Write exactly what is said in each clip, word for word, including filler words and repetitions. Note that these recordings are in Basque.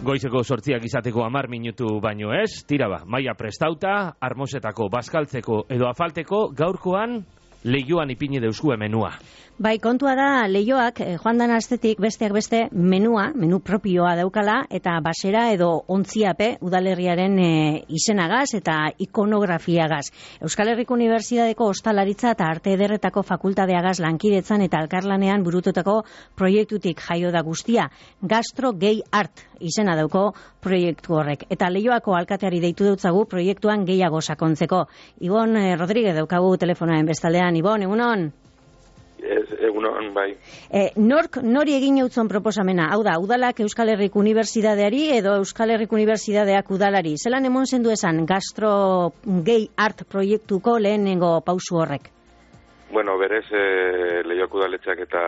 Goizeko sortziak izateko hamar minutu baino ez, tira ba, maila prestauta, armosetako, bazkaltzeko edo afalteko, gaurkoan Leioan ipini deuskue menua. Bai, kontua da, Leioak, eh, joan dan astetik besteak beste menua, menu propioa daukala, eta basera edo ontziape udalerriaren e, izenagaz eta ikonografiagaz. Euskal Herriko Unibertsitateko Ostalaritza eta Arte Ederretako Fakultateagaz lankidetzan eta elkarlanean burututako proiektutik jaio da guztia. Gastro Gay Art izena dauko proiektu horrek. Eta Leioako alkateari deitu dutzagu proiektuan gehiago sakontzeko. Ibon eh, Rodríguez daukagu telefonaen bestaldean. Ibon, egunon? Ez, egunon, bai. E, nork, nori egin eutzon proposamena? Hau da, udalak Euskal Herriko Unibertsitateari edo Euskal Herriko Unibertsitateak udalari? Zelan emon zendu esan Gastro Gay Art proiektuko lehenengo pausu horrek? Bueno, berez, e, Leioako udaletxeak eta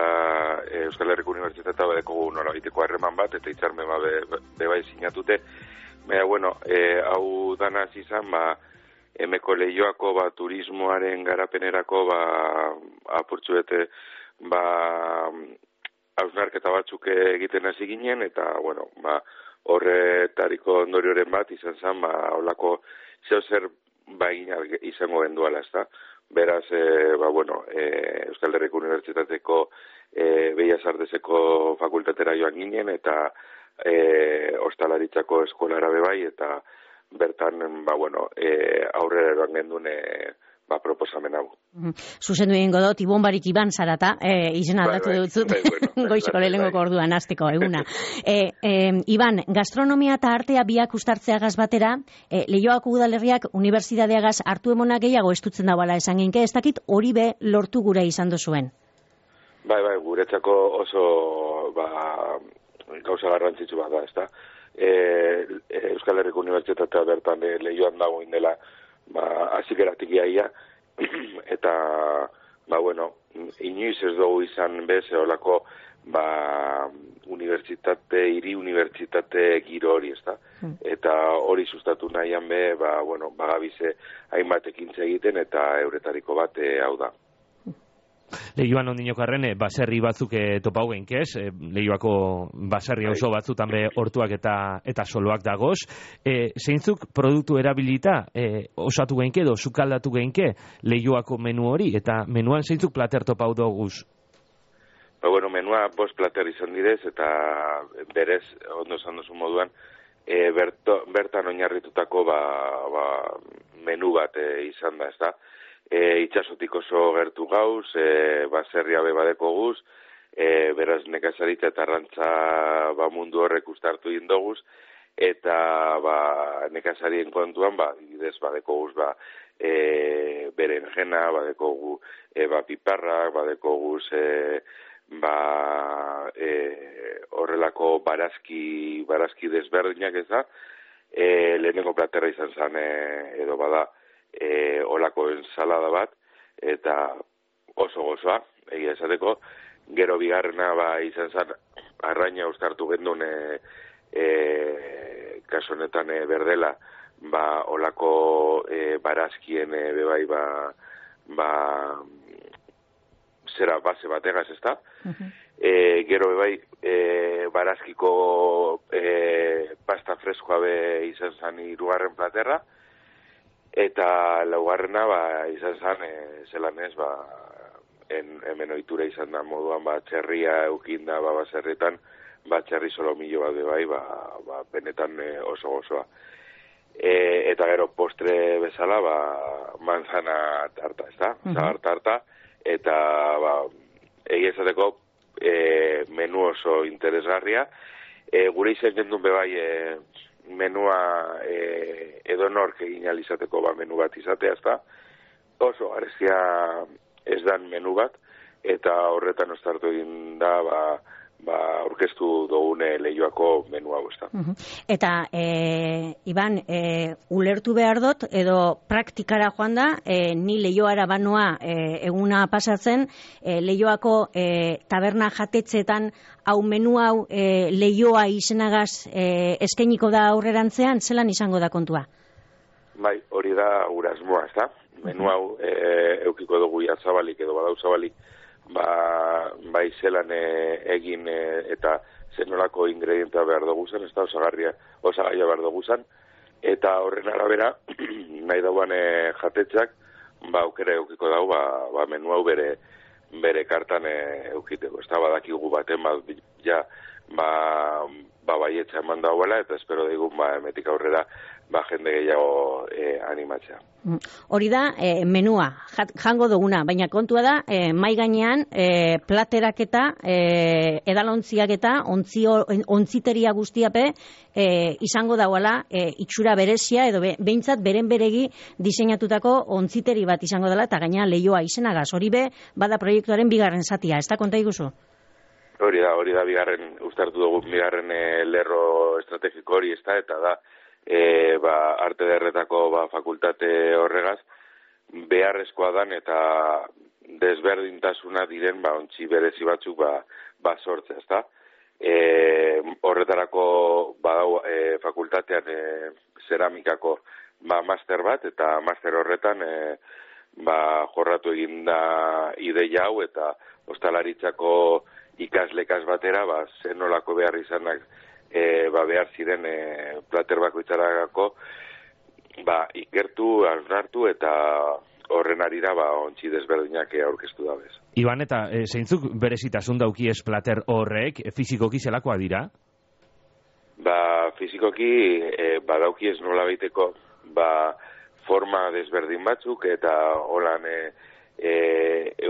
e, Euskal Herriko Unibertsitatea badeko norabiteko harreman bat, eta hitzarmen ba be, be bai sinatute. Baina, bueno, e, hau danaz izan, ba, emeko Leioako ba, turismoaren garapenerako ba, apurtxu bete ba, hausnarketa batzuk egiten hasi ginen, eta bueno, ba, horretariko ondorioren bat izan zen, ba, holako zeo zer ba, izango genduala, ezta? Beraz, e, ba, bueno, e, Euskal Herriko Unibertsitateko e, Bellas Arteseko fakultatera joan ginen, eta e, Ostalaritzako eskolara bebai, eta bertan, ba, bueno, e, aurrera eroan gendun e, ba, proposamen hau. Mm. Zuzendu egingo dut, Ibon Barik Iban zarata, e, izena aldatu bai, bai, dut bai, bueno, goizeko lehenengoko bai. Orduan, azteko, eguna. e, e, Iban, gastronomia eta artea biak ustartzeagaz batera, e, Leioako udalerriak unibertsitateagaz hartu emona gehiago estutzen dauala esan ginke, ez dakit hori be lortu gure izan dozuen? Bai, bai, guretzako oso ba, gauza garrantzitsu bat da, ez da? E, Euskal Herriko Unibertsitatea bertan e, Leioan dagoen dela ba, azikeratik iaia, eta, ba, bueno, inoiz ez dugu izan bez, eolako, ba, unibertsitate, hiri unibertsitate giro hori, ez da? Hmm. Eta hori sustatu nahian be, ba, bueno, bagabize hainbat ekintza egiten, eta euretariko bat e, hau da. Leioan ondinokarren, baserri batzuk e, topau genkez, e, Leioako baserri oso batzutan be hortuak eta eta soloak dagoz. E, zeintzuk produktu erabilita e, osatu genke edo sukaldatu genke Leioako menu hori, eta menuan zeintzuk plater topau doguz? Ba, bueno, menua bost plater izan direz, eta berez, ondo esan duzu moduan, e, berto, bertan oinarritutako ba, ba, menu bat e, izan da, ez da? E, itxasotik oso gertu gauz, e, baserria be badeko guz, e, beraz nekazaritza eta arrantza ba, mundu horrek ustartu indoguz, eta ba, nekazarien kontuan, ba, idez badeko guz, ba, e, berenjena, badeko gu, e, ba, piparrak, badeko guz, e, ba, e, horrelako barazki, barazki desberdinak ez da, e, lehenengo platerra izan zen, e, edo bada, E, olako ensalada bat, eta oso gozoa, egia esateko, gero bigarrena ba, izan zen, arraina ustartu gendun, e, e, kaso honetan e, berdela, ba, olako e, barazkien e, bebai, ba, ba, zera base bategaz, ez da? Uh-huh. E, gero bebai, e, barazkiko e, pasta freskoa be izan zen hirugarren platerra, eta laugarrena ba, izan zen, e, zelan ez, ba, en, hemen ohitura izan da moduan, ba, txerria eukinda, ba, baserretan, ba, txerri solomillo bat bai, ba, ba, benetan e, oso gozoa. E, eta gero postre bezala, ba, manzana tarta, ez da? Uh-huh. Zagar tarta, eta, ba, egia esateko, e, menu oso interesgarria. E, gure izan gendun bebai, e, menua e, edo nork egin alizateko ba, menu bat izatea, ezta? Oso garezia ez dan menu bat, eta horretan ostartu egin da, ba, ba, orkestu dugune Leioako menu hau, ezta? Uh-huh. Eta, e, Iban, e, ulertu behar dut, edo praktikara joan da, e, ni Leioara banoa e, eguna pasatzen, e, Leioako e, taberna jatetzeetan hau menu hau e, Leioa izenagaz e, eskainiko da aurrerantzean, zelan izango da kontua? Bai, hori da gure asmoa, ezta? Menu hau e, eukiko dugu jatzabalik edo badau zabalik, ba, bai zelan e, egin e, eta zenolako ingredientea behar dugu zen, ez da, osagarria, osagaia behar dugu zen, eta horren arabera, nahi dauan e, jatetxak, ba, aukera eukiko dau, ba, ba menu hau bere, bere kartan e, eukiteko. Ez da, badakigu baten, ba, ja, ba, ba baietza eman dauela, eta espero daigun, ba, emetik aurrera, ba, jende gehiago e, animatzea. Hori da, e, menua, jat, jango duguna, baina kontua da, e, mai gainean, e, platerak eta, e, edalontziak eta, ontzio, ontziteria guztiape, e, izango dauela, e, itxura berezia, edo be, behintzat beren beregi diseinatutako ontziteri bat izango dela, eta gaina leioa izenagaz. Hori be, bada proiektuaren bigarren zatia, ez da konta iguzu? Hori da, hori da, bigarren, ustartu dugu, bigarren e, lerro estrategiko hori, ez da, eta da, E, ba, arte derretako ba, fakultate horregaz beharrezkoa dan eta desberdintasuna diren ba, ontzi berezi batzuk ba, ba sortzea, ezta? E, horretarako badau e, fakultatean e, zeramikako ba, master bat, eta master horretan e, ba, jorratu eginda ideia hau, eta ostalaritzako ikaslekaz batera ba, zenolako behar izanak E, ba, behar ziren e, plater bakoitzarako ba, ikertu, hausnartu eta horren arira ba, ontsi desberdinak aurkeztu dabez. Iban, eta e, zeintzuk berezitasun daukiez plater horrek, e, fizikoki zelakoa dira? Ba, fizikoki e, ba, daukiez nola baiteko ba, forma desberdin batzuk eta holan e, e,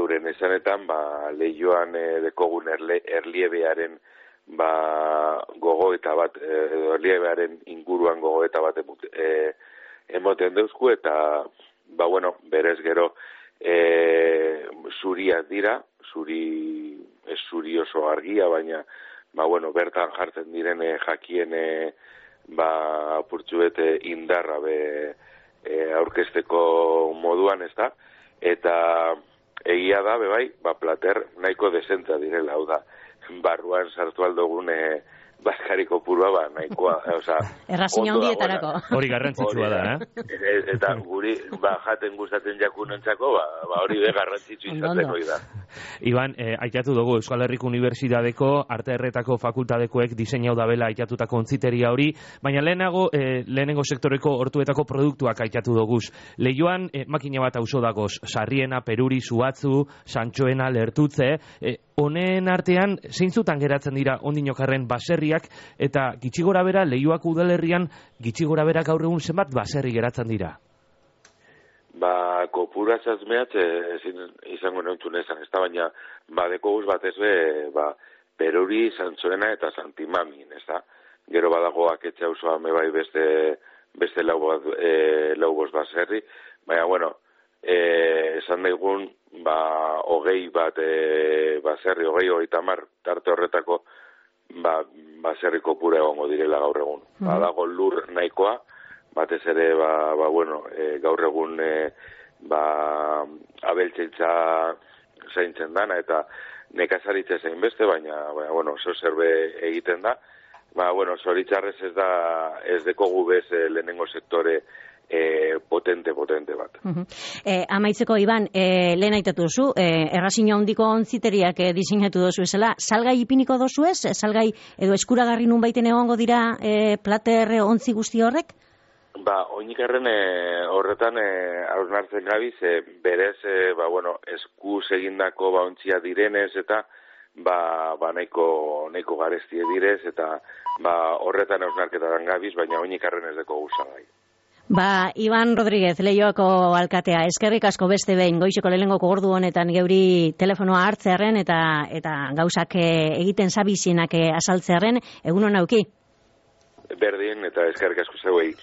euren esanetan ba, lehioan e, dekogun erle, erliebearen ba gogo eta bat edo erliebearen inguruan gogo eta bat emut, e, emoten deuzku, eta ba bueno, berez gero e, zuriak dira, zuri ez zuri oso argia, baina ba bueno, bertan jartzen diren e, jakien e, ba purtsuete indarra be e, aurkezteko moduan, ez da, eta egia da, be bai, ba plater nahiko desenta direla, hau da, barruan sartu aldogun e, baskariko purua, ba, nahikoa, oza... Errazina hundietarako. Hori garrantzitsua da, eh? Eta guri, ba, jaten gustatzen jakunentzako, ba, ba hori be garrantzitsu izaten hori da. Iban, eh, aitatu dugu Euskal Herriko Unibertsitateko Arte Erretako fakultatekoek diseinau dabela aitatutako ontziteria hori, baina lehenago, eh, lehenengo sektoreko hortuetako produktuak aitatu duguz. Leioan, eh, makina bat auzo dagoz, Sarriena, Peruri, Zuatzu, Santxoena, Lertutze, eh, honen artean, zeintzutan geratzen dira ondinokarren baserriak, eta gitxi gora bera, Leioako udalerrian, gitxi gora bera gaur egun zenbat baserri geratzen dira? Ba, kopura zazmeat, ezin izango neuntzun ezan, ez da, baina, ba, deko guz bat ez be, ba, Peruri, Santxoena eta Santimamin, ez da? Gero badago aketxe hausoa me bai beste, beste lau, e, lau bost baserri, baina, bueno, e, esan daigun, ba, hogei bat e, baserri, hogei hogei tamar, tarte horretako, ba, baserri kopura egongo direla gaur egun. Mm-hmm. Badago lur nahikoa, batez ere, ba, ba bueno, e, gaur egun e, ba, abeltzeitza zaintzen dana, eta nekazaritza zein beste, baina, baina bueno, zo zerbe egiten da. Ba, bueno, zoritzarrez ez da, ez dekogu bez e, lehenengo sektore E, potente, potente bat. Uh-huh. E, amaitzeko, Iban, e, lehen aitatu duzu, e, errazina hondiko ontziteriak e, diseinatu dozu esela, salgai ipiniko dozu ez? Salgai edo eskuragarri nun baiten egongo dira e, plater ontzi guzti horrek? Ba, oinikarren e, horretan e, hausnartzen gabiz, e, berez, e, ba, bueno, eskuz egindako ba, ontzia direnez, eta ba, ba nahiko, nahiko garestie direz, eta ba, horretan hausnarketaren gabiz, baina oinikarren ez deko guzagai. Ba, Iban Rodríguez, Leioako alkatea, eskerrik asko beste behin, goizeko lehenengoko ordu honetan geuri telefonoa hartzearen eta eta gauzak egiten zabizienak azaltzearen, egun hona auki? Berdin eta eskerrik asko zeuei.